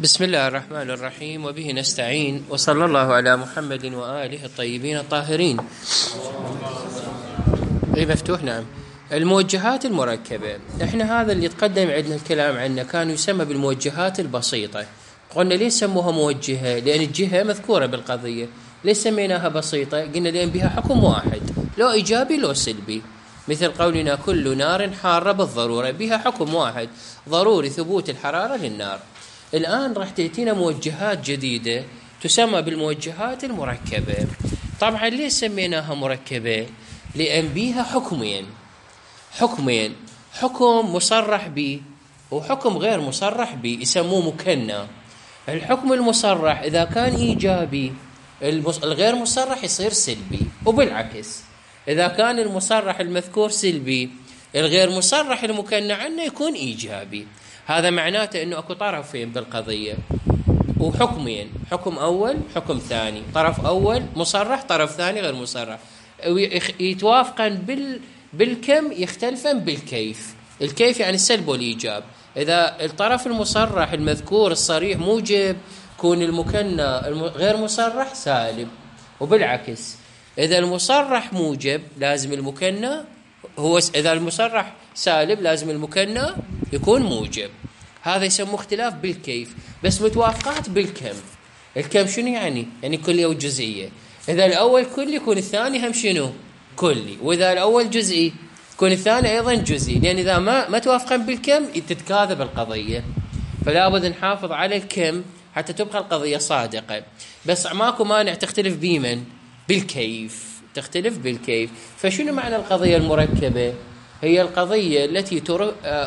بسم الله الرحمن الرحيم وبه نستعين وصلى الله على محمد وآله الطيبين الطاهرين. اي مفتوح نعم. الموجهات المركبة، احنا هذا اللي تقدم عندنا الكلام عنه كان يسمى بالموجهات البسيطة. قلنا ليش سموها موجهة؟ لأن الجهة مذكورة بالقضية. ليش سميناها بسيطة؟ قلنا لأن بها حكم واحد، لو إيجابي لو سلبي، مثل قولنا كل نار حارة بالضرورة، بها حكم واحد، ضروري ثبوت الحرارة للنار. الآن راح تأتينا موجهات جديدة تسمى بالموجهات المركبة. طبعا ليش سميناها مركبة؟ لأن بيها حكمين، حكم مصرح به وحكم غير مصرح به، يسموه مكنى. الحكم المصرح إذا كان إيجابي الغير مصرح يصير سلبي، وبالعكس إذا كان المصرح المذكور سلبي الغير مصرح المكنى عنه يكون إيجابي. هذا معناته أنه أكو طرفين بالقضية وحكمين، حكم أول حكم ثاني، طرف أول مصرح طرف ثاني غير مصرح، يتوافقان بالكم يختلفان بالكيف. الكيف يعني السلب والإيجاب. إذا الطرف المصرح المذكور الصريح موجب يكون المكنى غير مصرح سالب، وبالعكس إذا المصرح موجب لازم المكنى إذا المصرح سالب لازم المكنى يكون موجب. هذا يسموه اختلاف بالكيف، بس متوافقات بالكم. الكم شنو يعني؟ يعني كلية وجزئية. إذا الأول كلي يكون الثاني هم شنو؟ كلي، وإذا الأول جزئي يكون الثاني أيضا جزئي، لأن إذا ما توافقان بالكم تتكاذب القضية. فلا بد نحافظ على الكم حتى تبقى القضية صادقة، بس ماكو مانع تختلف بمن؟ بالكيف، تختلف بالكيف. فشنو معنى القضية المركبة؟ هي القضية التي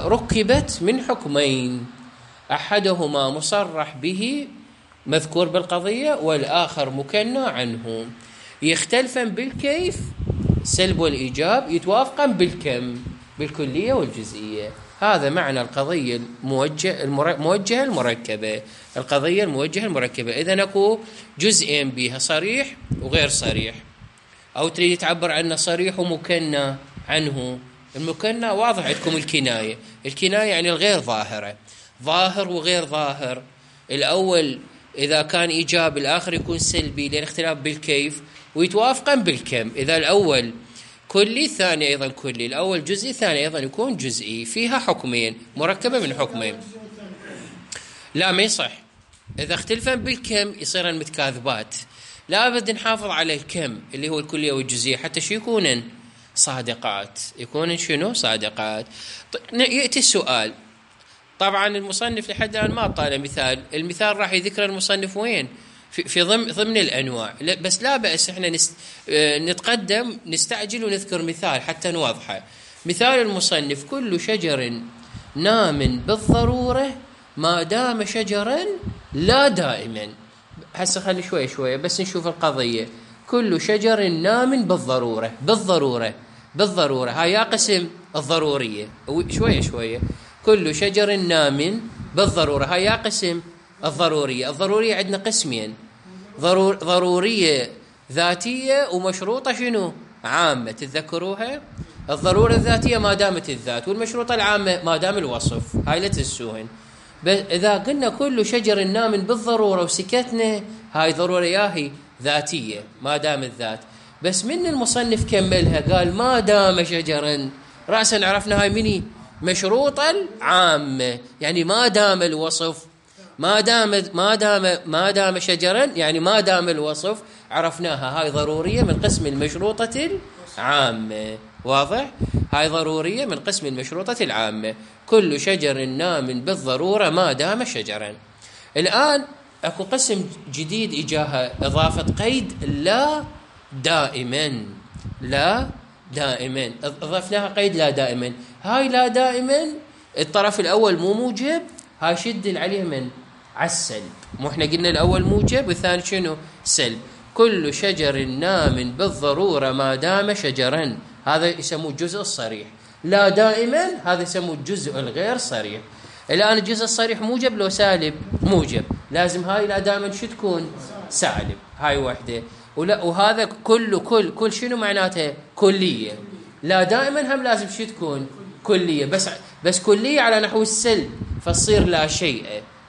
ركبت من حكمين، أحدهما مصرح به مذكور بالقضية والآخر مكنى عنه، يختلفان بالكيف سلب والإيجاب، يتوافقان بالكم بالكلية والجزئية. هذا معنى القضية الموجهة المركبة. القضية الموجهة المركبة إذا أكو جزئين بها، صريح وغير صريح، أو تريد تعبر عنه صريح ومكنى عنه. المكنى واضح عندكم الكناية يعني الغير ظاهرة، ظاهر وغير ظاهر. الأول إذا كان إيجابي الآخر يكون سلبي، لأن اختلاف بالكيف، ويتوافقان بالكم. إذا الأول كلي الثاني أيضا كلي، الأول جزئي الثاني أيضا يكون جزئي. فيها حكمين، مركبة من حكمين. لا ما يصح، إذا اختلفان بالكم يصيرن متكاذبات. لا بد نحافظ على الكم اللي هو الكلية والجزئية حتى شو يكونن صادقات، يكونن شنو صادقات. يأتي السؤال، طبعا المصنف لحد الآن ما طال مثال، المثال راح يذكر المصنف وين؟ في ضمن الأنواع، بس لا بأس احنا نتقدم نستعجل ونذكر مثال حتى نوضحه. مثال المصنف كل شجر نام بالضرورة ما دام شجرا لا دائما. هسه خلي شوية بس نشوف القضية. كل شجر نام بالضرورة هاي يا قسم الضرورية، شوية كل شجر نام بالضرورة هاي يا قسم الضرورية عندنا قسمين، ضرورية ذاتية ومشروطة شنو؟ عامة. تتذكروها؟ الضرورة الذاتية ما دامت الذات، والمشروطة العامة ما دام الوصف. هاي لا تنسوهن. إذا قلنا كل شجر نام بالضرورة وسكتنا، هاي ضرورة ياهي ذاتية ما دام الذات. بس من المصنف كملها قال ما دام شجرا، رأسا عرفنا هاي مني مشروطة العامة، يعني ما دام الوصف، ما دام شجرا يعني ما دام الوصف، عرفناها هاي ضرورية من قسم المشروطة العامة. واضح؟ هاي ضرورية من قسم المشروطة العامة. كل شجر نام بالضرورة ما دام شجرا. الآن أكو قسم جديد إجاها إضافة قيد لا دائما، أضفناها قيد لا دائما. هاي لا دائما الطرف الأول مو موجب، هاي شد عليه من على السلب. مو احنا قلنا الأول موجب والثاني شنو؟ سلب. كل شجر نام بالضرورة ما دام شجرا، هذا يسموه الجزء الصريح. لا دائما هذا يسموه الجزء الغير صريح. الآن الجزء الصريح موجب لو سالب؟ موجب، لازم هاي لا دائما شو تكون؟ سالب. هاي وحدة. وهذا كل شنو معناته؟ كلية. لا دائما هم لازم شو تكون؟ كلية، بس كلية على نحو السلب، فتصير لا شيء.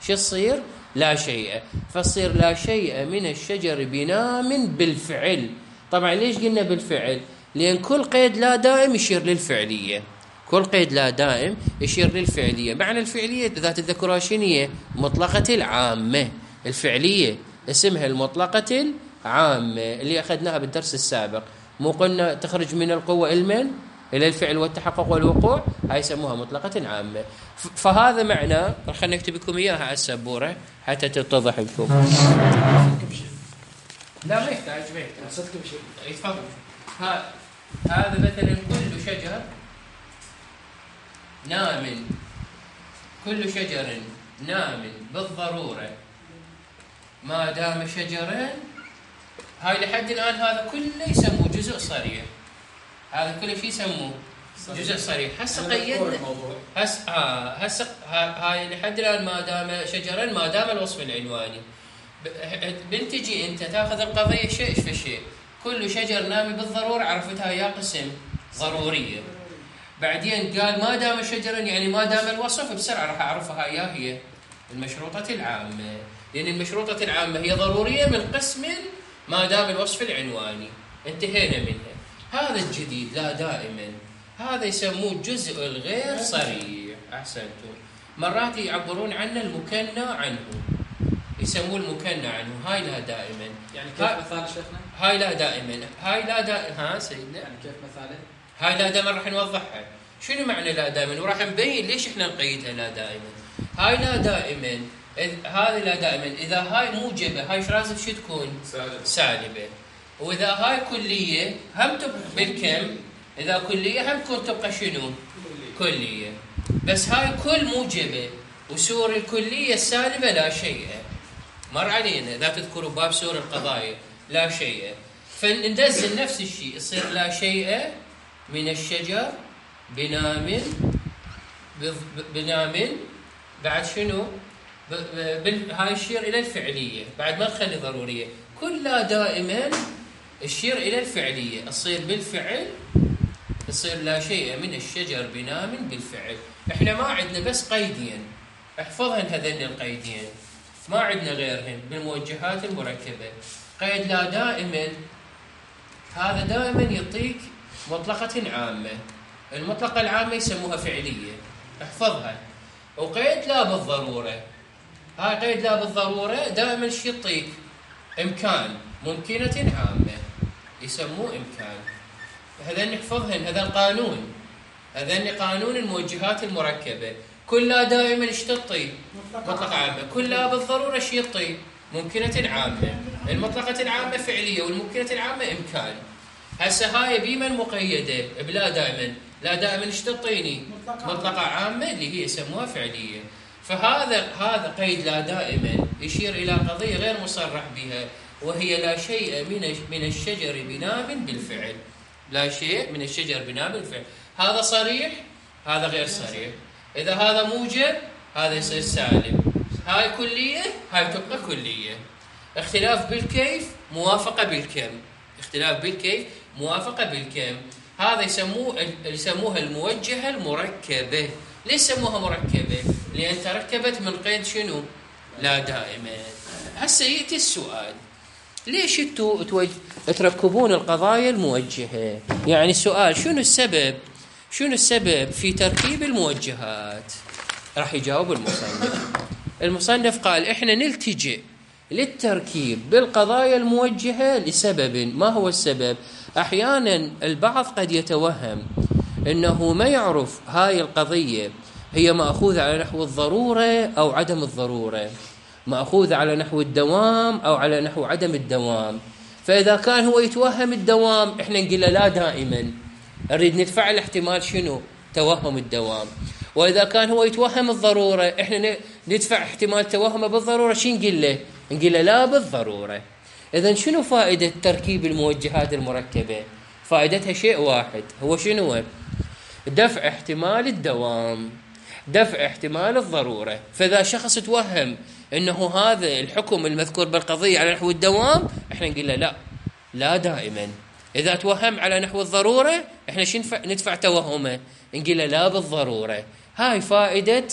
شو تصير؟ لا شيء، فتصير لا شيء من الشجر بنام بالفعل. طبعا ليش قلنا بالفعل؟ لأن كل قيد لا دائم يشير للفعلية، كل قيد لا دائم يشير للفعلية. معنى الفعلية ذات الذكورة شنية؟ مطلقة العامة. الفعلية اسمها المطلقة العامة اللي أخذناها بالدرس السابق. مو قلنا تخرج من القوة إلى الفعل والتحقق والوقوع؟ هاي يسموها مطلقة عامة. فهذا معنى، خلينا نكتب لكم إياها على السبورة حتى تتضح لكم. لا ما يحتاج، ما يحتاج. تفضل. هذا مثلا كل شجر نام، كل شجر نام بالضرورة ما دام شجرا. هاي لحد الآن هذا كله يسموه جزء صريح، هذا كله شيء يسموه جزء صريح. هسه قيدنا هسه هاي لحد الآن ما دام شجرا ما دام الوصف العنواني. بنتجي انت تاخذ القضية شيء فشيء. كل شجر نامي بالضرورة عرفتها يا قسم ضرورية. بعدين قال ما دام شجرا يعني ما دام الوصف، بسرعة راح أعرفها يا هي المشروطة العامة، لأن المشروطة العامة هي ضرورية من قسم ما دام الوصف العنواني، انتهينا منها. هذا الجديد لا دائما، هذا يسموه الجزء الغير صريح. أحسنتم. مرات يعبرون عنه المكنى عنه، يسموه المكنى عنه. هاي لا دائما. يعني كيف مثال شيخنا؟ هاي لا دائما، هاي لا دائما. ها سيدنا، يعني كيف مثاله؟ هاي لا دائما راح نوضحها. شنو معنى لا دائما؟ وراح نبين ليش احنا نقيدها لا دائما. هاي لا دائما، هذه لا دائما إذا هاي موجبة هاي ايش لازم شو تكون؟ سالبة. وإذا هاي كلية هم تبقى بالكم، إذا كلية هم تكون تبقى شنو؟ كلية. بس هاي كل موجبة وسور الكلية السالبة لا شيء. مر علينا لا تذكروا باب سور القضايا لا شيء. فندزل نفس الشيء، يصير لا شيء من الشجر بنام بعد شنو؟ هاي يشير إلى الفعلية بعد ما نخلي ضرورية. كلها دائما يشير إلى الفعلية، تصير بالفعل، تصير لا شيء من الشجر بنام بالفعل. احنا ما عندنا بس قيدين، احفظهن هذين القيدين، ما عندنا غيرهن بالموجهات المركبة. قيد لا دائما هذا دائما يعطيك مطلقة عامة، المطلقة العامة يسموها فعلية، احفظها. وقيد لا بالضرورة، هاي قيد لا بالضرورة دائما شو يعطيك؟ إمكان، ممكنة عامة، يسموه إمكان. هذين نحفظهن، هذا القانون، هذين قانون الموجهات المركبة. كلها دائما ايش تعطي؟ مطلقة عامة. كلها بالضرورة ايش يعطي؟ ممكنة عامة. المطلقة العامة فعلية والممكنة العامة إمكان. هسه هاي بمن مقيدة؟ بلا دائما. لا دائما ايش تعطيني؟ مطلقة عامة اللي هي يسموها فعلية. فهذا قيد لا دائما يشير إلى قضية غير مصرح بها، وهي لا شيء من الشجر بنام بالفعل. لا شيء من الشجر بنام بالفعل. هذا صريح، هذا غير صريح. إذا هذا موجب هذا يصير سالب. هاي كلية، هاي تبقى كلية. اختلاف بالكيف، موافقة بالكم. اختلاف بالكيف، موافقة بالكم. هذا يسموها الموجهة المركبة. ليش سموها مركبة؟ لأن تركبت من قيد شنو؟ لا دائما. هسه يأتي السؤال، ليش انتوا تركبون القضايا الموجهة؟ يعني السؤال شنو السبب في تركيب الموجهات؟ راح يجاوب المصنف قال احنا نلتجئ للتركيب بالقضايا الموجهة لسبب. ما هو السبب؟ احيانا البعض قد يتوهم انه ما يعرف هاي القضية هي مأخوذة على نحو الضرورة او عدم الضرورة، مأخوذة على نحو الدوام او على نحو عدم الدوام. فاذا كان هو يتوهم الدوام احنا نقول له لا دائما، نريد ندفع الاحتمال شنو؟ توهم الدوام. واذا كان هو يتوهم الضرورة احنا ندفع احتمال توهمه بالضرورة. شو نقول له؟ نقول له لا بالضرورة. اذا شنو فائدة تركيب الموجهات المركبة؟ فائدتها شيء واحد، هو شنو؟ دفع احتمال الدوام، دفع احتمال الضرورة. فإذا شخص توهم أنه هذا الحكم المذكور بالقضية على نحو الدوام احنا نقول له لا دائما. إذا توهم على نحو الضرورة احنا ندفع توهمه، نقول له لا بالضرورة. هاي فائدة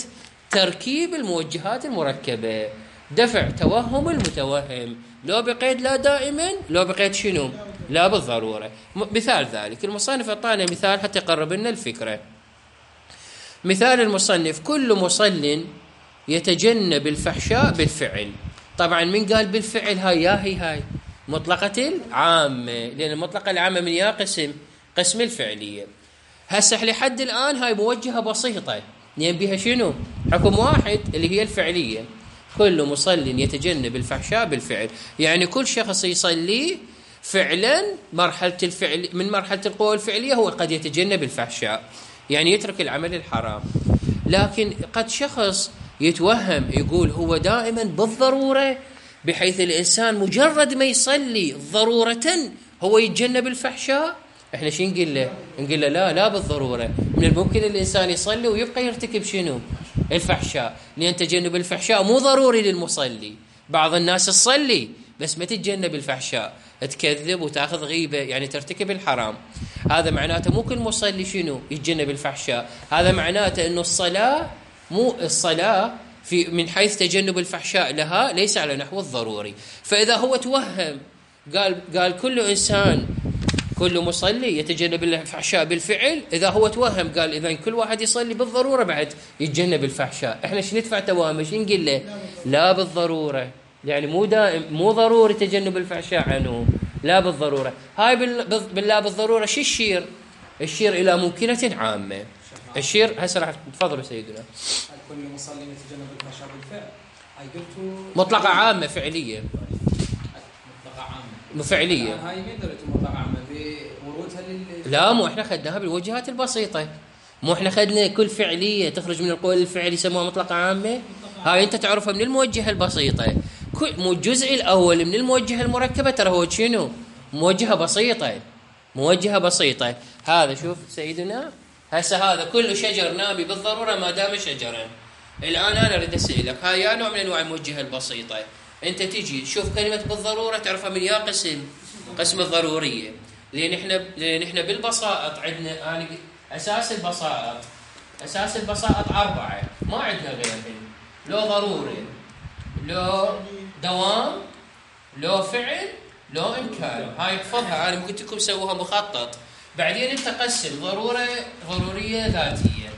تركيب الموجهات المركبة. دفع توهم المتوهم، لو بقيد لا دائما، لو بقيد شنو؟ لا بالضرورة. مثال ذلك المصنف أعطانا مثال حتى يقرب لنا الفكرة. مثال المصنف: كل مصل يتجنب الفحشاء بالفعل. طبعا من قال بالفعل؟ هاي مطلقة العامة، لأن المطلقة العامة من يا قسم الفعلية. هسه لحد الآن هاي موجهة بسيطة، لأن بها شنو؟ حكم واحد اللي هي الفعلية. كل مصل يتجنب الفحشاء بالفعل، يعني كل شخص يصلي فعلا مرحلة الفعل من مرحلة القوة الفعلية هو قد يتجنب الفحشاء، يعني يترك العمل الحرام. لكن قد شخص يتوهم يقول هو دائما بالضرورة، بحيث الإنسان مجرد ما يصلي ضرورة هو يتجنب الفحشاء. احنا شو نقول له؟ نقول له لا بالضرورة، من الممكن الإنسان يصلي ويبقى يرتكب شنو؟ الفحشاء، لأن تجنب الفحشاء مو ضروري للمصلي. بعض الناس تصلي بس ما تتجنب الفحشاء، تكذب وتاخذ غيبة، يعني ترتكب الحرام. هذا معناته مو كل مصلي شنو؟ يتجنب الفحشاء. هذا معناته انه الصلاة في من حيث تجنب الفحشاء لها ليس على نحو الضروري. فإذا هو توهم قال كل إنسان كل مصلي يتجنب الفحشاء بالفعل، إذا هو توهم قال إذا كل واحد يصلي بالضرورة بعد يتجنب الفحشاء، إحنا شو ندفع توهم؟ شو نقول له؟ لا بالضرورة، يعني مو ضروري تجنب الفحشاء عنه، لا بالضرورة. هاي باللا بالضرورة شو الشير إلى ممكنة عامة. الشير هسه راح تفضلوا سيدنا. كل مصلي يتجنب الفحشاء بالفعل، هاي قلتوا مطلقة عامة فعلية. مطلقة عامة فعلية. هاي مين درجة مطلقة عامة بورودها لا، مو احنا خدناها بالوجهات البسيطة، مو احنا خدنا كل فعلية تخرج من القول الفعلي يسموها مطلقة عامة. هاي انت تعرفها من الموجهة البسيطة. مو الجزء الأول من الموجهة المركبة ترى هو شنو؟ موجهة بسيطة. هذا شوف سيدنا، هسه هذا كل شجر نامي بالضرورة ما دام شجرا. الآن أنا أريد أسألك، هاي يا نوع من أنواع الموجهة البسيطة. أنت تيجي تشوف كلمة بالضرورة تعرفها من يا قسم الضرورية، لأن إحنا بالبساطة عندنا أساس البساطة 4، ما عندنا غيرهم. لو ضروري، لو دوام، لو فعل، لو إمكان. هاي احفظها، أنا قلت لكم سووها مخطط. بعدين أنت قسم ضرورية ذاتية،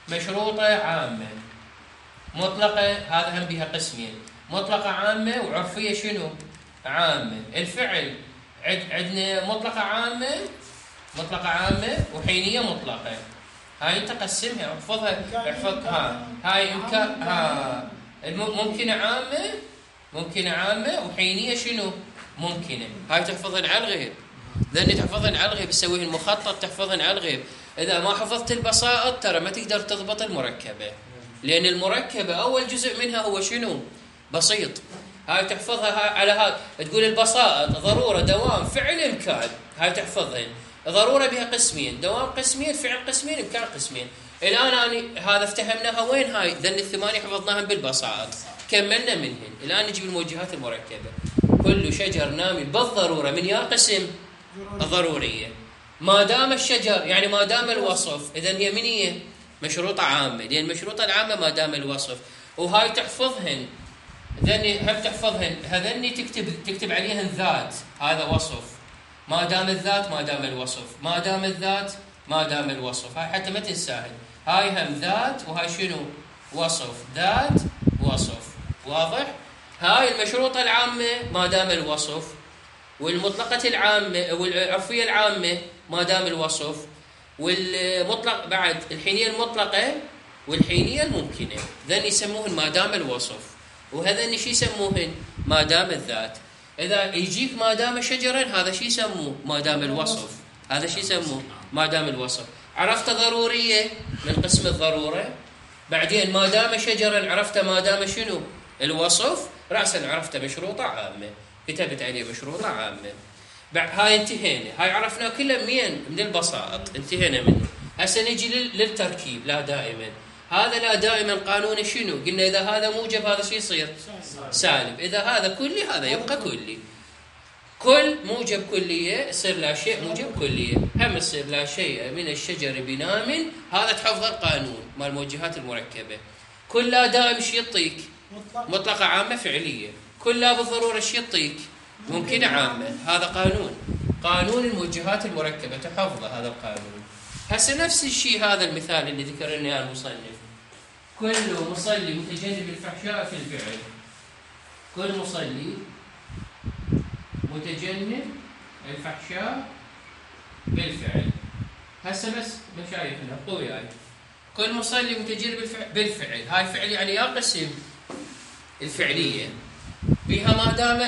مشروطة عامة، مطلقة. هذا هم بها قسمين، مطلقة عامة وعرفية شنو؟ عامة. الفعل عندنا مطلقة عامة وحينية مطلقة. هاي انت قسمها احفظها. هاي امكان، ممكنة عامة وحينية شنو؟ ممكنة. هاي تحفظن على الغيب، ذني تحفظن على الغيب، تسويه المخطط تحفظن على الغيب. اذا ما حفظت البسائط ترى ما تقدر تضبط المركبة، لان المركبة اول جزء منها هو شنو؟ بسيط. هاي تحفظها على هذا، تقول البسائط ضرورة، دوام، فعل، إمكان. هاي تحفظهن. ضرورة بها قسمين، دوام قسمين، فعل قسمين، إمكان قسمين. الآن هذا افتهمناها وين؟ هاي ذن الثمانية حفظناهم بالبسائط، كملنا منهن. الآن نجيب الموجهات المركبة. كل شجر نامي بالضرورة من يا قسم الضرورية، ما دام الشجر، يعني ما دام الوصف، إذن هي من هي؟ مشروطة عامة، لأن المشروطة العامة ما دام الوصف. وهاي تحفظهن، ذني هم تحفظهن. هذني تكتب عليهن ذات، هذا وصف. ما دام الذات ما دام الوصف، ما دام الذات ما دام الوصف. هاي حتى ما تنساهن. هاي هم ذات، وهاي شنو؟ وصف. ذات وصف، واضح؟ هاي المشروطة العامة ما دام الوصف، والمطلقة العامة والعرفية العامة ما دام الوصف، والمطلق بعد الحينية المطلقة والحينية الممكنة. ذن يسموهن ما دام الوصف، وهذا شي يسموهن ما دام الذات. إذا يجيك ما دام شجرا، هذا شي يسموه ما دام الوصف، هذا شي يسموه ما دام الوصف. عرفت ضرورية من قسم الضرورة، بعدين ما دام شجرا عرفت ما دام شنو؟ الوصف. رأسا عرفت مشروطة عامة، كتبت عليه مشروطة عامة. هاي انتهينا، هاي عرفنا كله من البساط، انتهينا منه. هسه نجي للتركيب. لا دائما، هذا لا دائما قانون شنو؟ قلنا إذا هذا موجب هذا شو يصير؟ سالب. إذا هذا كلي هذا يبقى كلي. كل موجب كلية يصير لا شيء موجب كلية، هم يصير لا شيء من الشجر بنام. هذا تحفظ القانون مال الموجهات المركبة. كل لا دائم شو يعطيك؟ مطلقة عامة فعلية. كل لا بالضرورة شي يعطيك ممكنة عامة. هذا قانون الموجهات المركبة، تحفظه هذا القانون. هسه نفس الشيء هذا المثال اللي ذكر لنا اياه المصنف، كل مصلي متجنب الفحشاء في الفعل. كل مصلي متجنب الفحشاء بالفعل. هسه بس مشايخنا قولوا وياي، كل مصلي متجنب بالفعل، هاي الفعل يعني يا قسم الفعلية بها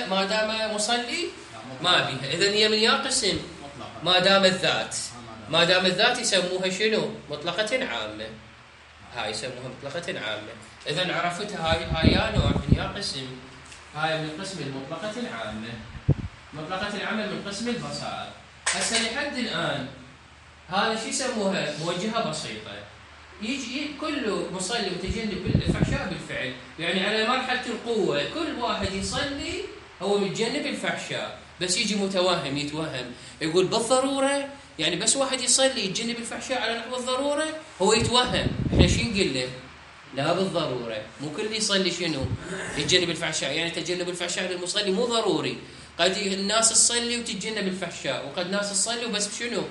ما دام مصلي ما بها، إذن هي من يا قسم ما دام الذات يسموها شنو؟ مطلقة عامة. هاي يسموها مطلقة عامة. إذن عرفتها هاي يا نوع من يا قسم، هاي من قسم المطلقة العامة. مطلقة العامة من قسم البسائط. هسه لحد الآن هذا شو يسموها؟ موجهة بسيطة. يجي كل مصلي متجنب الفحشاء بالفعل، يعني على مرحلة القوة كل واحد يصلي هو متجنب الفحشاء، بس يجي متوهم يتوهم يقول بالضرورة، يعني بس واحد يصلي يتجنب الفحشاء على نحو الضرورة هو يتوهم. احنا شو نقول له؟ لا بالضرورة، مو كل يصلي شنو؟ يتجنب الفحشاء، يعني تجنب الفحشاء للمصلي مو ضروري. قد الناس تصلي وتتجنب الفحشاء، وقد ناس تصلي وبس شنو؟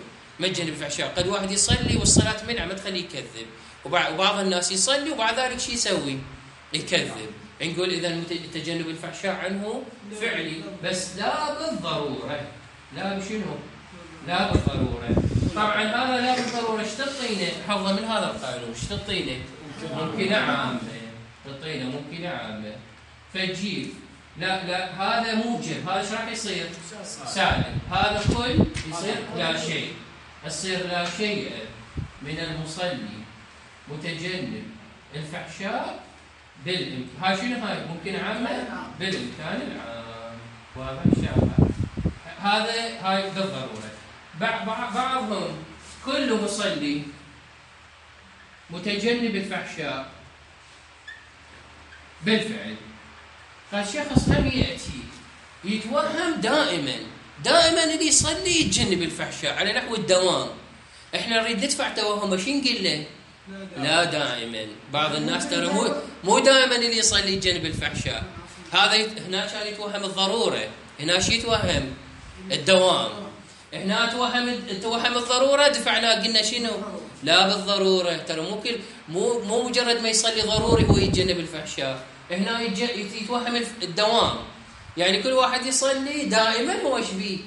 ما تجنب الفحشاء. قد واحد يصلي والصلاة منع ما تخليه يكذب، وبعض الناس يصلي وبعد ذلك شو يسوي؟ يكذب. نقول إذا تجنب الفحشاء عنه فعلي، بس لا بالضرورة. لا بشنو؟ لا بالضرورة. طبعا هذا لا بالضرورة ايش تعطينا؟ حفظه من هذا القانون ايش تعطينا؟ ممكنة عامة. تعطينا ممكنة عامة. فتجيب لا هذا موجب، هذا ايش راح يصير؟ سالب. هذا كل يصير لا شيء. يصير لا شيء من المصلي متجنب الفحشاء بالإمكان. هاي شنو هاي؟ ممكن عامة بالإمكان العام. واضح شافها؟ هاي بالضرورة. بعضهم كل مصلي متجنب الفحشاء بالفعل. فالشخص هم يأتي يتوهم دائما اللي يصلي يتجنب الفحشاء على نحو الدوام. احنا نريد ندفع توهم، شو نقول له؟ لا دائما. بعض الناس ترى مو دائما اللي يصلي يتجنب الفحشاء. هذا هنا كان يتوهم الضرورة، هنا شو يتوهم؟ الدوام. هنا توهم الضرورة، دفعنا قلنا شنو؟ لا بالضرورة. ترى مو مجرد ما يصلي ضروري هو يتجنب الفحشاء، هنا يتوهم الدوام. يعني كل واحد يصلي دائما هو ايش بيه؟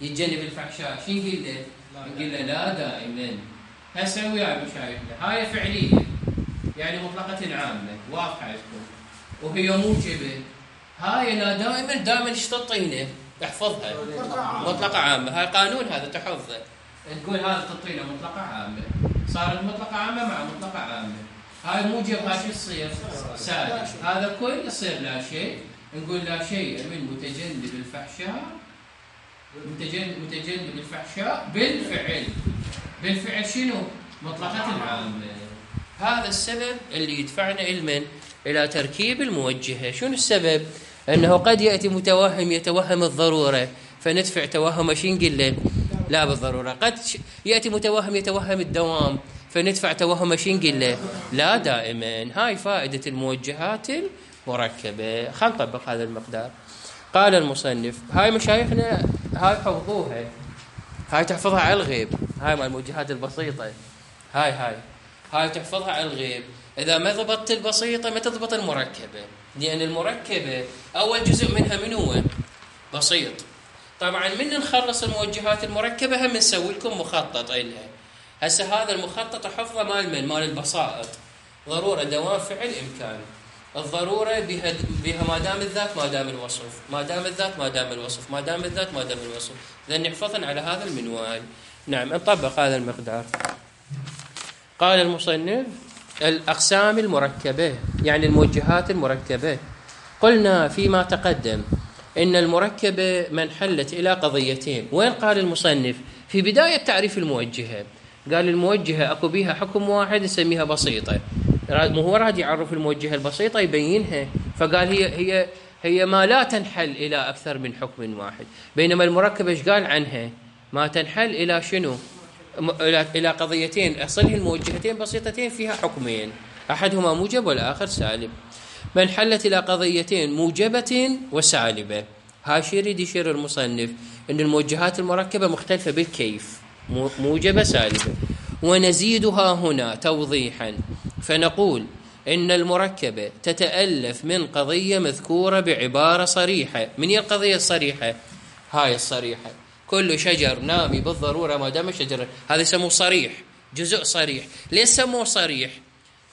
يتجنب الفحشاء. شو نقول له؟ نقول له لا دائما. هسه ويا مشايخنا هاي فعلية، يعني مطلقة عامة واضحة لكم، وهي موجبة. هاي لا دائما ايش تعطينا؟ احفظها مطلقة عامة. هاي قانون هذا تحفظه. نقول هذا تعطينا مطلقة عامة، صارت مطلقة عامة مع مطلقة عامة. هاي موجب، هاي شو يصير؟ سالب. هذا كل يصير لا شيء. نقول لا شيء من متجنب الفحشاء بالفعل شنو؟ مطلقة العامة. هذا السبب اللي يدفعنا إلى تركيب الموجهة. شنو السبب؟ أنه قد يأتي متوهم يتوهم الضرورة فندفع توهم شو نقول له؟ لا بالضرورة. قد يأتي متوهم يتوهم الدوام فندفع توهم شو نقول له؟ لا دائما. هاي فائدة الموجهات المركبة. خلينا نطبق هذا المقدار. قال المصنف، هاي مشايخنا هاي حفظوها، هاي تحفظها على الغيب. هاي مال الموجهات البسيطة، هاي تحفظها على الغيب. إذا ما ضبطت البسيطة ما تضبط المركبة، لأن المركبة أول جزء منها من هو؟ بسيط. طبعا من نخلص الموجهات المركبة هم نسوي لكم مخطط إلها. هسه هذا المخطط حفظه مال البسائط. ضرورة دوام فعل إمكان. الضرورة بها ما دام الذات ما دام الوصف، ما دام الذات ما دام الوصف، ما دام الذات ما دام الوصف. إذن نحفظن على هذا المنوال. نعم نطبق هذا المقدار. قال المصنف الأقسام المركبة، يعني الموجهات المركبة. قلنا فيما تقدم إن المركبة من حلت إلى قضيتين. وين قال المصنف؟ في بداية تعريف الموجهة قال الموجهة أكو بيها حكم واحد نسميها بسيطة. مو هو راد يعرف الموجهة البسيطة يبينها، فقال هي ما لا تنحل إلى أكثر من حكم واحد. بينما المركبة إيش قال عنها؟ ما تنحل إلى شنو؟ إلى قضيتين. أصلها الموجهتين بسيطتين فيها حكمين، أحدهما موجب والآخر سالب. من حلت إلى قضيتين موجبة وسالبة. هاي شي يريد يشير المصنف أن الموجهات المركبة مختلفة بالكيف، موجبة سالبة. ونزيدها هنا توضيحا فنقول إن المركبة تتألف من قضية مذكورة بعبارة صريحة. من هي القضية الصريحة؟ هاي الصريحة: كل شجر نامي بالضرورة ما دام شجر. هذا يسموه صريح، جزء صريح. ليش سموه صريح؟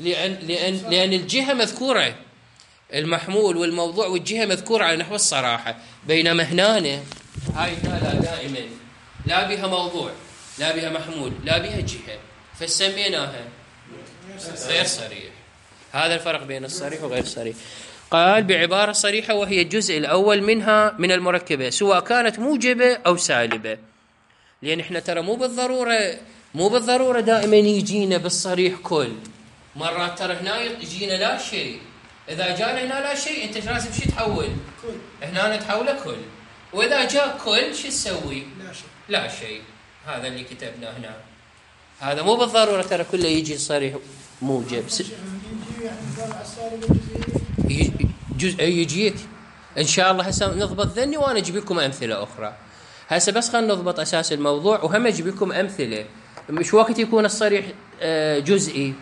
لأن الجهة مذكورة، المحمول والموضوع والجهة مذكورة على نحو الصراحة. بينما هنا هاي لا دائما لا بها موضوع لا بها محمول لا بها جهة، فسميناها غير صريح. هذا الفرق بين الصريح وغير الصريح. قال بعبارة صريحة وهي الجزء الأول منها من المركبة سواء كانت موجبة أو سالبة. لأن احنا ترى مو بالضرورة دائما يجينا بالصريح كل. مرات ترى هنا يجينا لا شيء. إذا جانا هنا لا شيء أنت لازم شو تحول؟ هنا نتحوله كل. وإذا جاء كل شو تسوي؟ لا شيء. هذا اللي كتبناه هنا. هذا مو بالضرورة ترى كله يجي صريح موجب. يجيك إن شاء الله. هسه نضبط ذني وأنا أجيب لكم أمثلة أخرى. هسه بس خلينا نضبط أساس الموضوع وهم أجيب لكم أمثلة. مش وقت يكون الصريح جزئي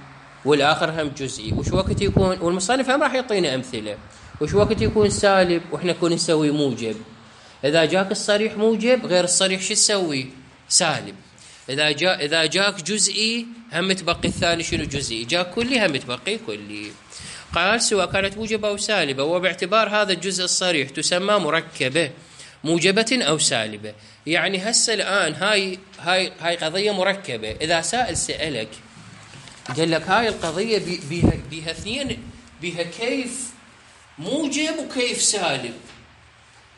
والآخر هم جزئي، وش وقت يكون، والمصنف هم راح يعطينا أمثلة، وش وقت يكون سالب وإحنا نكون نسوي موجب. إذا جاك الصريح موجب غير الصريح شو تسوي؟ سالب. إذا جاك جزئي هم تبقي الثاني شنو جزئي، جاك كلي هم تبقي كلي. قال سواء كانت موجبة أو سالبة، وباعتبار هذا الجزء الصريح تسمى مركبة موجبة أو سالبة. يعني هسه الآن هاي قضية مركبة. إذا سائل سألك قال لك هاي القضية بيها اثنين، بيها كيف موجب وكيف سالب.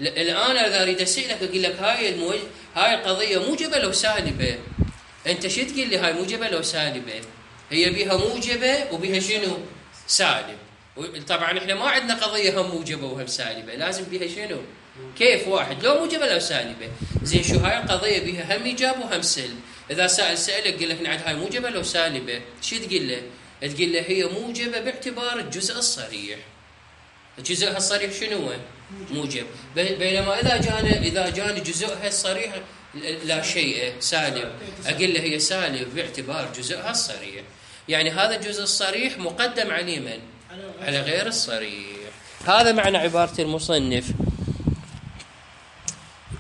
الآن إذا أريد أسألك أقول لك هاي القضية موجبة لو سالبة، أنت شو تقول لي؟ هاي موجبة لو سالبة؟ هي بيها موجبة وبيها شنو؟ سالب. طبعا إحنا ما عندنا قضية هم موجبة وهم سالبة، لازم بيها شنو؟ كيف واحد، لو موجبة لو سالبة. زين شو هاي القضية بيها هم إيجاب وهم سلب. إذا سألك قل لك نعد هاي موجبة لو سالبة، شو تقول له؟ تقول له هي موجبة باعتبار الجزء الصريح. جزءها الصريح شنو هو؟ موجب. بينما إذا جاني جزءها الصريح لا شيء سالب، أقول له هي سالب باعتبار جزءها الصريح. يعني هذا الجزء الصريح مقدم على من؟ على غير الصريح. هذا معنى عبارة المصنف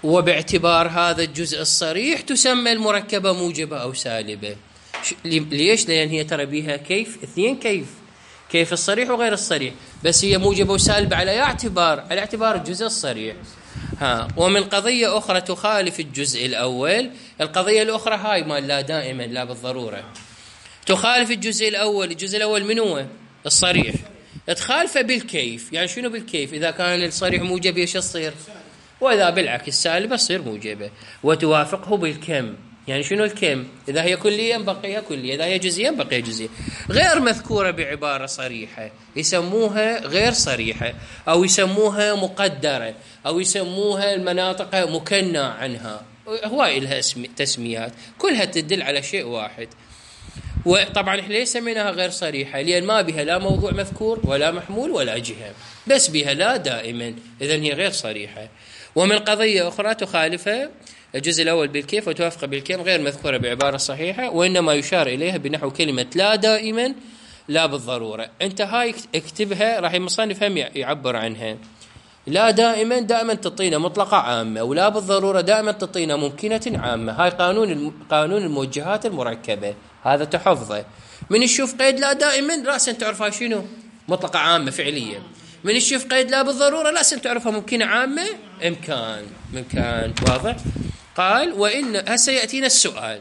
وباعتبار هذا الجزء الصريح تسمى المركبة موجبة أو سالبة. ليش؟ لأن هي ترى بيها كيف اثنين، كيف الصريح وغير الصريح، بس هي موجبة وسالبة على اعتبار الجزء الصريح. ومن قضية أخرى تخالف الجزء الأول. القضية الأخرى هاي ما لا دائما لا بالضرورة تخالف الجزء الأول. الجزء الأول من هو؟ الصريح. تخالفه بالكيف. يعني شنو بالكيف؟ إذا كان الصريح موجب ايش تصير؟ وإذا بالعكس سالبة تصير موجبة. وتوافقه بالكم. يعني شنو الكم؟ إذا هي كلية بقيها كلية، إذا هي جزئية بقيها جزئية. غير مذكورة بعبارة صريحة يسموها غير صريحة، أو يسموها مقدرة، أو يسموها المناطق مكنى عنها. هواي لها تسميات كلها تدل على شيء واحد. وطبعا احنا ليش سميناها غير صريحة؟ لأن ما بها لا موضوع مذكور ولا محمول ولا جهة، بس بها لا دائما، إذن هي غير صريحة. ومن قضية أخرى تخالفها الجزء الأول بالكيف وتوافق بالكم غير مذكورة بعبارة صحيحة، وإنما يشار إليها بنحو كلمة لا دائما لا بالضرورة. أنت هاي اكتبها، راح المصنف هم يعبر عنها. لا دائما تعطينا مطلقة عامة، ولا بالضرورة دائما تعطينا ممكنة عامة. هاي قانون الموجهات المركبة، هذا تحفظه. من تشوف قيد لا دائما رأسا تعرفها شنو؟ مطلقة عامة فعلية. من تشوف قيد لا بالضرورة رأسا تعرفها ممكنة عامة إمكان. واضح؟ قال وإن هسه يأتينا السؤال: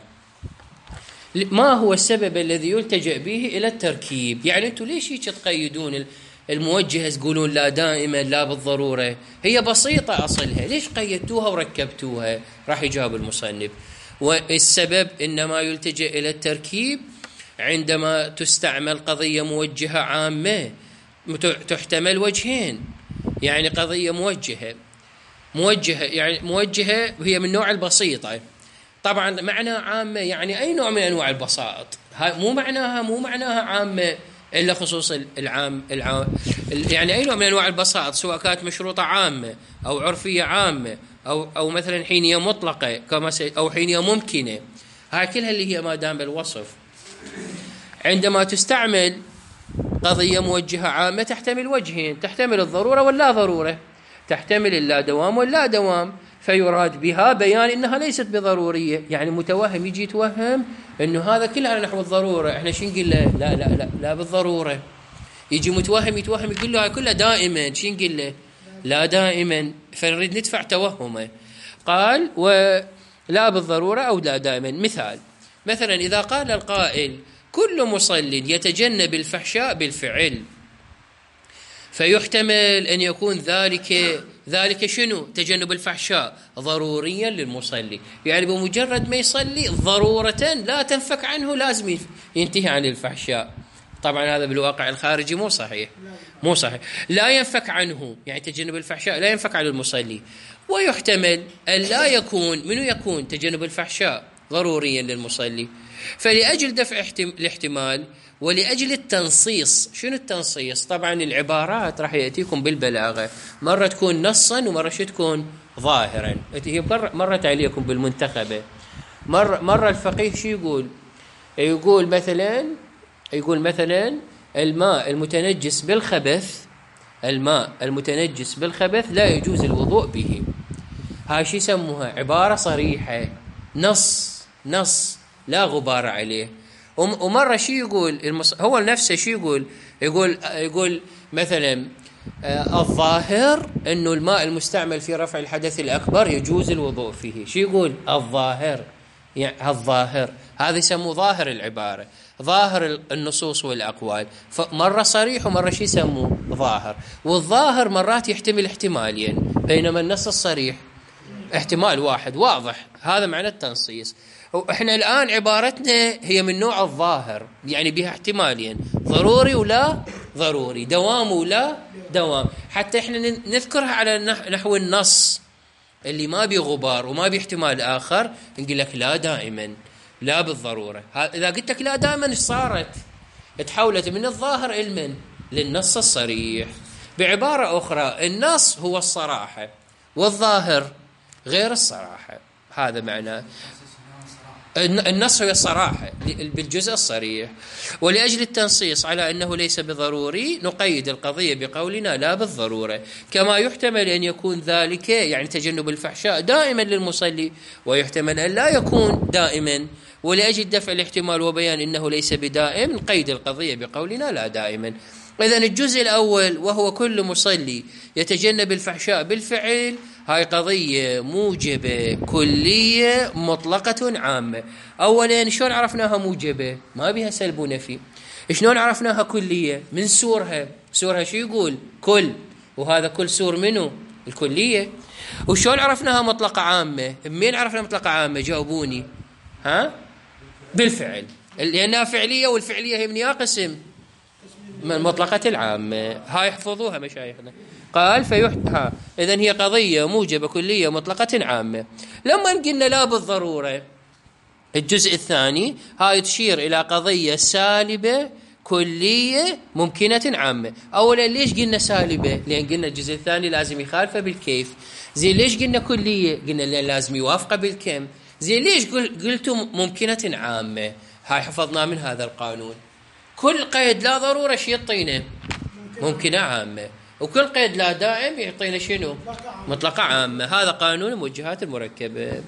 ما هو السبب الذي يلتجأ به إلى التركيب؟ يعني أنتم ليش هيك تقيدون الموجهة تقولون لا دائما لا بالضرورة؟ هي بسيطة أصلها، ليش قيدتوها وركبتوها؟ راح يجاوب المصنف: والسبب إنما يلتجأ إلى التركيب عندما تستعمل قضية موجهة عامة تحتمل وجهين. يعني قضية موجهة يعني موجهة هي من نوع البسيطة. طبعا معناها عامة، يعني أي نوع من أنواع البساط. مو معناها عامة إلا خصوص العام يعني أي نوع من أنواع البساط، سواء كانت مشروطة عامة أو عرفية عامة أو مثلا حينية مطلقة أو حينية ممكنة، هاي كلها اللي هي ما دام بالوصف. عندما تستعمل قضية موجهة عامة تحتمل وجهين، تحتمل الضرورة واللا ضرورة، تحتمل اللا دوام واللا دوام، فيراد بها بيان إنها ليست بضرورية. يعني متوهم يجي يتوهم إنه هذا كله على نحو الضرورة، إحنا شو نقول له؟ لا لا لا لا بالضرورة. يجي متوهم يقول له هاي كلها دائما، شو نقول له؟ لا دائما، فنريد ندفع توهمه. قال ولا بالضرورة أو لا دائما. مثلا إذا قال القائل كل مصل يتجنب الفحشاء بالفعل، فيحتمل أن يكون ذلك شنو؟ تجنب الفحشاء ضروريا للمصلي، يعني بمجرد ما يصلي ضرورة لا تنفك عنه لازم ينتهي عن الفحشاء. طبعا هذا بالواقع الخارجي مو صحيح. لا ينفك عنه، يعني تجنب الفحشاء لا ينفك عن المصلي. ويحتمل أن لا يكون تجنب الفحشاء ضروريا للمصلي، فلأجل دفع الاحتمال ولأجل التنصيص. شنو التنصيص؟ طبعا العبارات راح يأتيكم بالبلاغة، مرة تكون نصا ومرة تكون ظاهرا. هي مرت عليكم بالمنتخبة. مرة الفقيه شو يقول مثلا الماء المتنجس بالخبث لا يجوز الوضوء به. هاي شو يسموها؟ عبارة صريحة، نص لا غبار عليه. ومرة شو يقول هو نفسه؟ شو يقول مثلا الظاهر انه الماء المستعمل في رفع الحدث الاكبر يجوز الوضوء فيه. شو يقول؟ الظاهر، يعني الظاهر هذا يسموه ظاهر العبارة، ظاهر النصوص والأقوال. فمرة صريح ومرة شو يسموه؟ ظاهر. والظاهر مرات يحتمل احتمالين، بينما النص الصريح احتمال واحد واضح. هذا معنى التنصيص. احنا الآن عبارتنا هي من نوع الظاهر، يعني بها احتمالين، ضروري ولا ضروري، دوام ولا دوام. حتى احنا نذكرها على نحو النص اللي ما بغبار وما باحتمال آخر، نقول لك لا دائما، لا بالضرورة. إذا قلت لك لا دائما ايش صارت؟ تحولت من الظاهر علما للنص الصريح. بعبارة أخرى النص هو الصراحة والظاهر غير الصراحة. هذا معناه النص هو الصراحة بالجزء الصريح. ولأجل التنصيص على أنه ليس بضروري نقيد القضية بقولنا لا بالضرورة. كما يحتمل أن يكون ذلك، يعني تجنب الفحشاء، دائما للمصلي، ويحتمل أن لا يكون دائما. ولأجل دفع الاحتمال وبيان أنه ليس بدائم نقيد القضية بقولنا لا دائما. إذن الجزء الأول وهو كل مصلي يتجنب الفحشاء بالفعل، هاي قضية موجبة كلية مطلقة عامة. أولا شلون عرفناها موجبة؟ ما بها سلب ونفي. شلون عرفناها كلية؟ من سورها شو يقول؟ كل، وهذا كل سور منه الكلية. وشلون عرفناها مطلقة عامة؟ منين عرفنا مطلقة عامة؟ جاوبوني. بالفعل، لأنها فعلية، والفعلية هي من قسم من مطلقة العامة. هاي يحفظوها مشايخنا. قال إذن هي قضية موجبة كلية مطلقة عامة. لما قلنا لا بالضرورة، الجزء الثاني هاي تشير إلى قضية سالبة كلية ممكنة عامة. أولا ليش قلنا سالبة؟ لأن قلنا الجزء الثاني لازم يخالفه بالكيف. زين ليش قلنا كلية؟ قلنا لازم يوافقه بالكم. زين ليش قلتم ممكنة عامة؟ هاي حفظنا من هذا القانون. كل قيد لا ضرورة شي يعطينا ممكنة عامة، وكل قيد لا دائم يعطينا شنو؟ مطلقة عامة. هذا قانون الموجهات المركبة.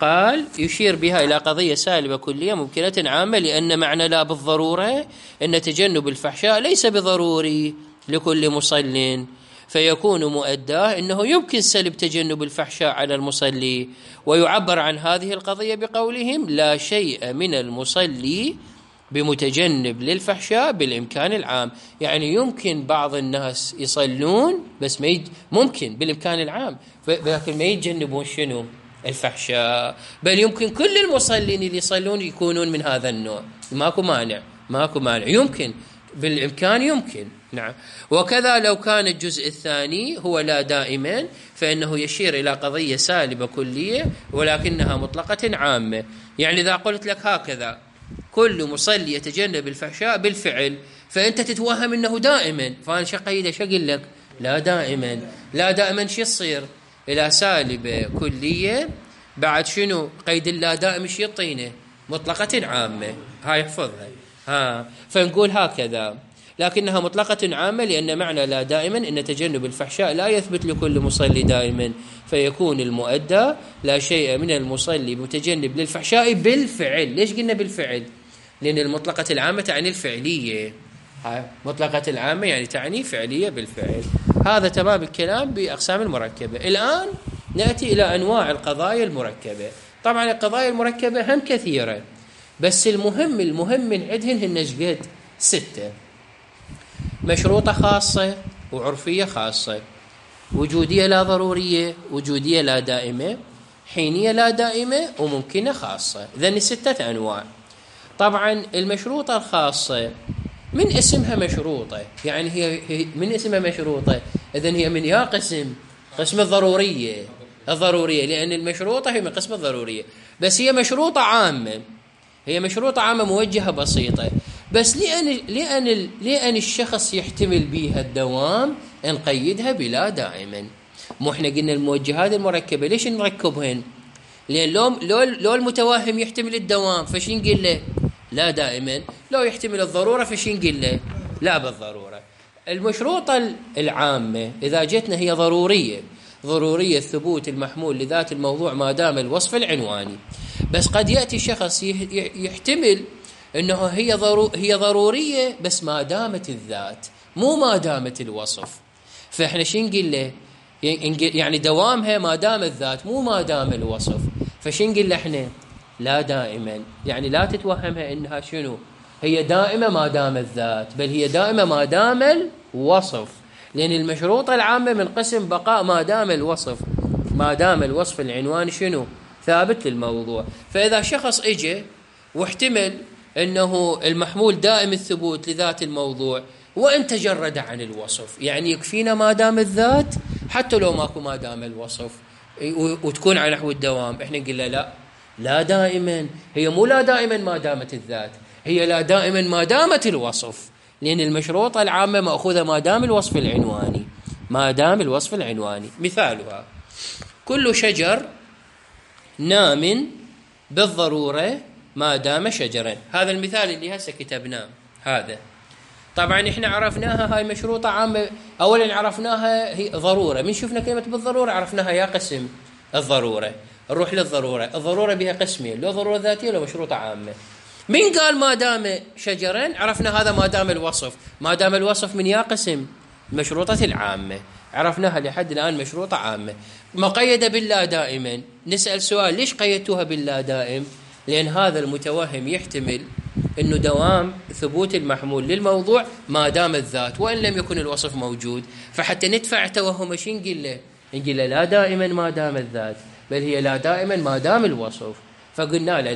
قال يشير بها إلى قضية سالبة كلية ممكنة عامة، لأن معنى لا بالضرورة أن تجنب الفحشاء ليس بضروري لكل مصل، فيكون مؤداه أنه يمكن سلب تجنب الفحشاء على المصلي. ويعبر عن هذه القضية بقولهم لا شيء من المصلي بمتجنب للفحشاء بالإمكان العام. يعني يمكن بعض الناس يصلون بس ممكن بالإمكان العام، لكن ما يتجنبون شنو؟ الفحشاء. بل يمكن كل المصلين اللي يصلون يكونون من هذا النوع، ماكو مانع، يمكن بالإمكان، يمكن. نعم. وكذا لو كان الجزء الثاني هو لا دائما، فإنه يشير إلى قضية سالبة كلية ولكنها مطلقة عامة. يعني إذا قلت لك هكذا كل مصلي يتجنب الفحشاء بالفعل، فأنت تتوهم أنه دائما، فأنا شقيده شقل لك لا دائما. لا دائما شو يصير؟ إلى سالبة كلية بعد شنو قيد اللا دائم شو يعطينا؟ مطلقة عامة. هاي احفظها. فنقول هكذا لكنها مطلقة عامة لأن معنى لا دائما أن تجنب الفحشاء لا يثبت لكل مصلي دائما، فيكون المؤدى لا شيء من المصلي متجنب للفحشاء بالفعل. ليش قلنا بالفعل؟ لأن المطلقة العامة تعني الفعلية. مطلقة العامة يعني تعني فعلية بالفعل. هذا تمام الكلام بأقسام المركبة. الآن نأتي إلى أنواع القضايا المركبة. طبعا القضايا المركبة هم كثيرة، بس المهم من عندهن هن شقد 6: مشروطة خاصة، وعرفية خاصة، وجودية لا ضرورية، وجودية لا دائمة، حينية لا دائمة، وممكنة خاصة. إذن 6 أنواع. طبعا المشروطة الخاصة من اسمها مشروطة، يعني هي من اسمها مشروطة، إذن هي من قسم الضرورية، لأن المشروطة هي من قسم الضرورية، بس هي مشروطة عامة، هي مشروطة عامة موجهة بسيطة، بس لأن الشخص يحتمل بها الدوام نقيدها بلا دائما. مو احنا قلنا الموجهات المركبة ليش نركبهن؟ لأن لو المتوهم يحتمل الدوام فش نقول له؟ لا دائما. لو يحتمل الضرورة فش نقول له؟ لا بالضرورة. المشروطة العامة إذا جتنا هي ضرورية ثبوت المحمول لذات الموضوع ما دام الوصف العنواني. بس قد يأتي شخص يحتمل أنه هي ضرورية بس ما دامت الذات، مو ما دامت الوصف. فإحنا شو نقول له؟ يعني دوامها ما دام الذات مو ما دام الوصف. فشو نقول له احنا؟ لا دائما. يعني لا تتوهمها انها شنو؟ هي دائمة ما دام الذات، بل هي دائمة ما دام الوصف، لأن المشروطة العامة من قسم بقاء ما دام الوصف العنوان شنو؟ ثابت للموضوع. فإذا شخص اجى واحتمل أنه المحمول دائم الثبوت لذات الموضوع وإن تجرد عن الوصف، يعني يكفينا ما دام الذات حتى لو ماكو ما دام الوصف وتكون على نحو الدوام، احنا نقول لا دائما. هي مو لا دائما ما دامت الذات، هي لا دائما ما دامت الوصف، لأن المشروطة العامة مأخوذة ما دام الوصف العنواني. مثالها: كل شجر نام بالضرورة ما دام شجرا. هذا المثال اللي هسه كتبناه. هذا طبعا احنا عرفناها هاي مشروطة عامة. اولا عرفناها هي ضرورة، من شفنا كلمة بالضرورة عرفناها يا قسم الضرورة. نروح للضرورة. الضرورة بها قسمين: لو ضرورة ذاتية لو مشروطة عامة. من قال ما دام شجرا؟ عرفنا هذا ما دام الوصف من يا قسم المشروطة العامة، عرفناها لحد الآن مشروطة عامة مقيدة باللا دائما. نسأل سؤال: ليش قيدتوها باللا دائم؟ لأن هذا المتوهم يحتمل أنه دوام ثبوت المحمول للموضوع ما دام الذات وإن لم يكن الوصف موجود، فحتى ندفع توهم شو نقول له؟ لا دائما ما دام الذات، بل هي لا دائما ما دام الوصف. فقلنا له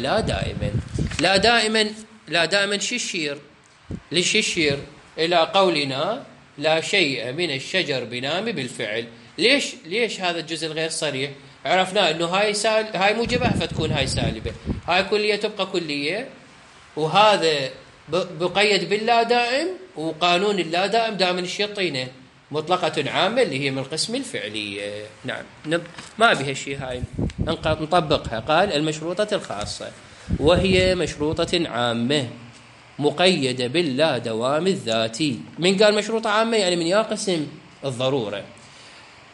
لا دائما شو الشير؟ ليش الشير إلى قولنا لا شيء من الشجر بنام بالفعل. ليش هذا الجزء الغير صريح؟ عرفنا أنه هاي موجبة فتكون هاي سالبة، هاي كلية تبقى كلية، وهذا بقيد باللا دائم، وقانون اللا دائم دائما الشيطينة مطلقة عامة اللي هي من القسم الفعلية. نعم ما بها شيء هاي نطبقها. قال: المشروطة الخاصة وهي مشروطة عامة مقيدة باللا دوام الذاتي. من قال مشروطة عامة؟ يعني من يا قسم الضرورة.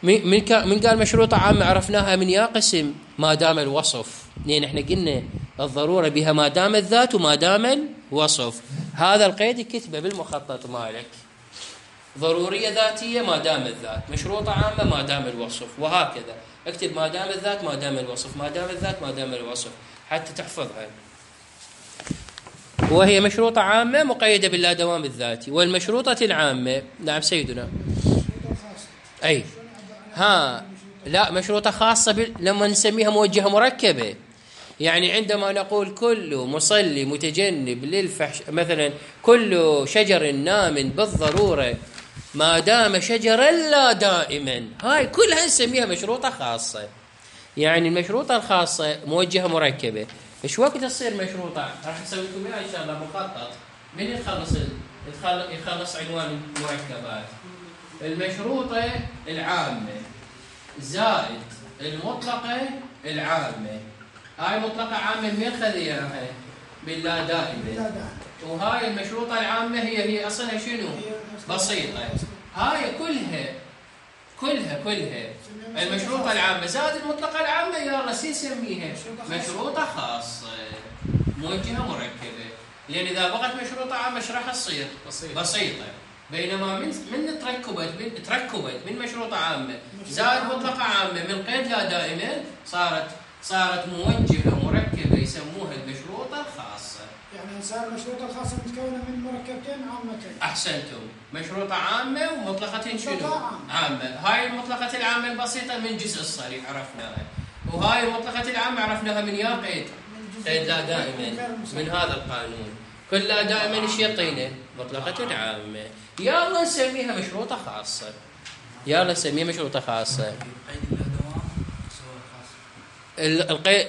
من قال مشروطة عامة؟ عرفناها من يا قسم ما دام الوصف، لأن احنا قلنا الضرورة بها ما دام الذات وما دام الوصف. هذا القيد كتبه بالمخطط مالك: ضرورية ذاتية ما دام الذات، مشروطة عامة ما دام الوصف، وهكذا اكتب ما دام الذات ما دام الوصف، ما دام الذات ما دام الوصف، حتى تحفظها. وهي مشروطة عامة مقيدة باللا دوام الذاتي. والمشروطة العامة، نعم سيدنا، أي لا مشروطة خاصة لما نسميها موجهة مركبة. يعني عندما نقول كل مصلي متجنب للفحش، مثلا كل شجر نام بالضرورة ما دام شجرا لا دائما، هاي كلها نسميها مشروطة خاصة. يعني المشروطة الخاصة موجهة مركبة. ايش وقت تصير مشروطة؟ راح اسوي لكم اياها ان شاء الله مخطط من يخلص يخلص عنوان المركبات. المشروطة العامة زائد المطلقة العامة. هاي مطلقة عامة من خذ اياها؟ باللا دائمة. وهاي المشروطة العامة هي اصلها شنو؟ بسيطة. هاي كلها المشروطة العامة زائد المطلقة العامة يلا نسميها مشروطة خاصة موجهة مركبة. لأن إذا بقت مشروطة عامة ايش راح تصير؟ بسيطة. بينما من تركبت من مشروطة عامة زائد مطلقة عامة من قيد لا دائما صارت موجهة مركبة يسموها المشروطة الخاصة. يعني صار المشروطة الخاصة متكونة من مركبتين عامتين. أحسنتم. مشروطة عامة ومطلقة شنو؟ عامة. هاي المطلقة العامة البسيطة من جزء الصريح عرفناها. وهاي المطلقة العامة عرفناها من يا قيد لا دائما من هذا القانون. كل لا دائما ايش يعطينا؟ مطلقة عامة. يلا نسميها مشروطة خاصة.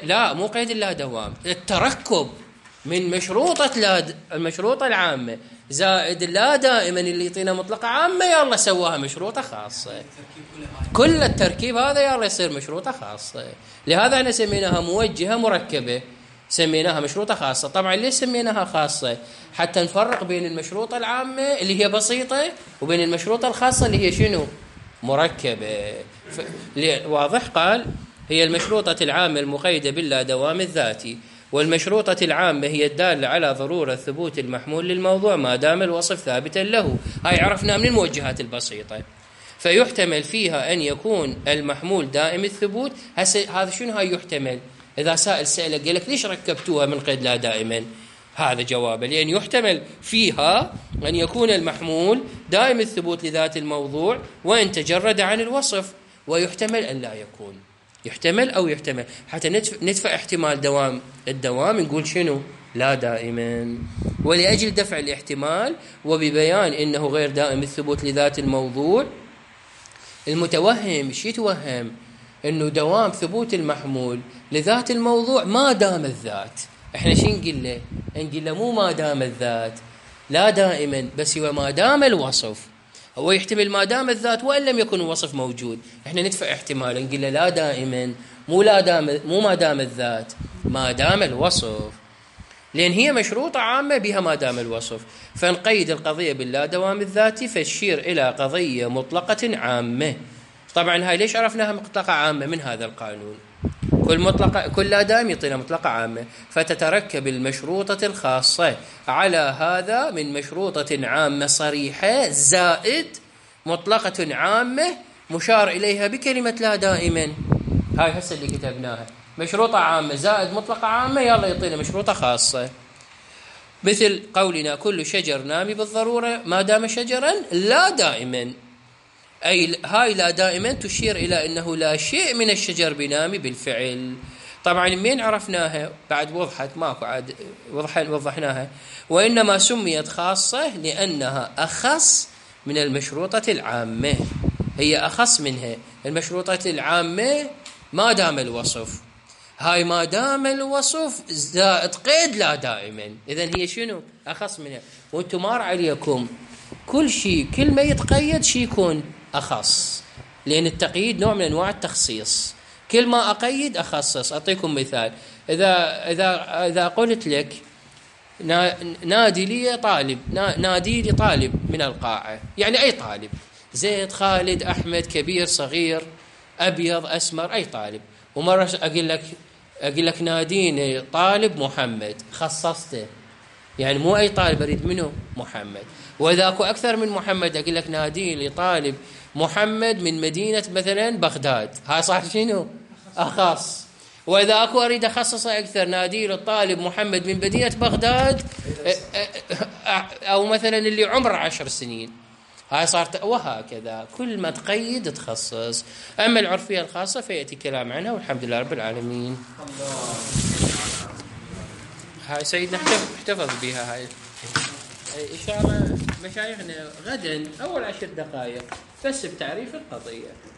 لا مو قيد اللا دوام. التركب من المشروطة العامة زائد اللا دائما اللي يعطينا مطلقة عامة يلا سواها مشروطة خاصة. كل التركيب هذا يلا يصير مشروطة خاصة. لهذا احنا سميناها موجهة مركبة سميناها مشروطة خاصة. طبعا ليش سميناها خاصة؟ حتى نفرق بين المشروطة العامة اللي هي بسيطة وبين المشروطة الخاصة اللي هي شنو؟ مركبة. واضح؟ قال هي المشروطة العامة المقيدة باللا دوام الذاتي. والمشروطة العامة هي الدالة على ضرورة ثبوت المحمول للموضوع ما دام الوصف ثابتا له. هاي عرفنا من الموجهات البسيطة. فيحتمل فيها أن يكون المحمول دائم الثبوت. هذا شنو هاي يحتمل؟ إذا سائل سألك قال لك ليش ركبتوها من قيد لا دائما؟ هذا جوابه. لأن يحتمل فيها أن يكون المحمول دائم الثبوت لذات الموضوع وإن تجرد عن الوصف. ويحتمل أن لا يكون. يحتمل أو يحتمل حتى ندفع احتمال الدوام نقول شنو؟ لا دائما. ولأجل دفع الاحتمال وببيان إنه غير دائم الثبوت لذات الموضوع المتوهم شي يتوهم؟ إنه دوام ثبوت المحمول لذات الموضوع ما دام الذات. إحنا شو نقول له مو ما دام الذات لا دائما بس هو ما دام الوصف. هو يحتمل ما دام الذات وإن لم يكن الوصف موجود. إحنا ندفع احتمال نقول له لا دائما مو ما دام الذات ما دام الوصف. لأن هي مشروطة عامة بها ما دام الوصف. فنقيد القضية باللا دوام الذاتي فالشير إلى قضية مطلقة عامة. طبعا هاي ليش عرفناها مطلقة عامة؟ من هذا القانون. كل لا دائم يعطينا مطلقة عامة. فتتركب المشروطة الخاصة على هذا من مشروطة عامة صريحة زائد مطلقة عامة مشار إليها بكلمة لا دائما. هاي هسه اللي كتبناها مشروطة عامة زائد مطلقة عامة يلا يعطينا مشروطة خاصة. مثل قولنا كل شجر نامي بالضرورة ما دام شجرا لا دائما. أي هاي لا دائما تشير إلى أنه لا شيء من الشجر بنامي بالفعل. طبعا من عرفناها بعد وضحت ماكو عاد وضحناها. وإنما سميت خاصة لأنها أخص من المشروطة العامة. هي أخص منها. المشروطة العامة ما دام الوصف. هاي ما دام الوصف زائد قيد لا دائما. إذن هي شنو؟ أخص منها. وانتم مار عليكم كل ما يتقيد شي يكون أخص. لأن التقييد نوع من أنواع التخصيص. كل ما أقيد أخصص. أعطيكم مثال. إذا قلت لك نادي لي طالب من القاعة يعني أي طالب زيد خالد أحمد كبير صغير أبيض أسمر أي طالب. ومرة أقول لك ناديني طالب محمد خصصته يعني مو أي طالب أريد منه محمد. وإذا أكو أكثر من محمد أقول لك ناديني طالب محمد من مدينة مثلا بغداد. هاي صار شنو؟ أخص. وإذا أكو أريد أخصصه أكثر نادي للطالب محمد من مدينة بغداد أو مثلا اللي عمره 10 سنين. هاي صارت وهكذا كل ما تقيد تخصص. أما العرفية الخاصة فيأتي كلام عنها والحمد لله رب العالمين. هاي سيدنا احتفظ بها هاي إن شاء الله مشايخنا غدا أول 10 دقائق بس بتعريف القضية.